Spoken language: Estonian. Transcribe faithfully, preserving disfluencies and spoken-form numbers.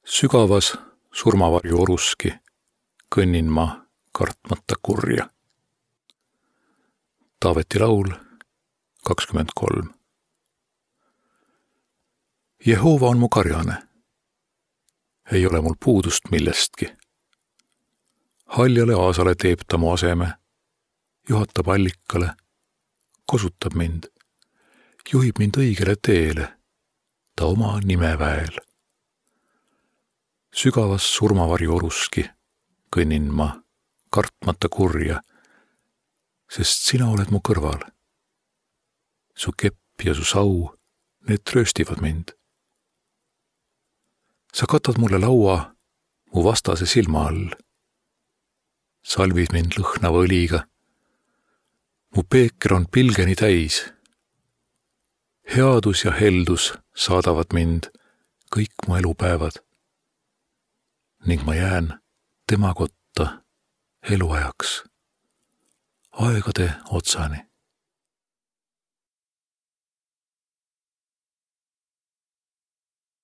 Sügavas surmavarju oruski kõnnin ma kartmata kurja. Taaveti laul kakskümmend kolm. Jehova on mu karjane. Ei ole mul puudust millestki. Haljale aasale teeb ta mu aseme, juhatab allikale, kosutab mind, juhib mind õigele teele, ta oma nimeväel. Sügavas surmavarju oruski kõnnin ma kartmata kurja, sest sina oled mu kõrval. Su kepp ja su sau, need trööstivad mind. Sa katad mulle laua mu vastase silma all. Salvid mind lõhnava õliga. Mu peeker on pilgeni täis. Headus ja heldus saadavad mind kõik mu elupäevad. Ning ma jään tema kotta eluajaks, aegade otsani.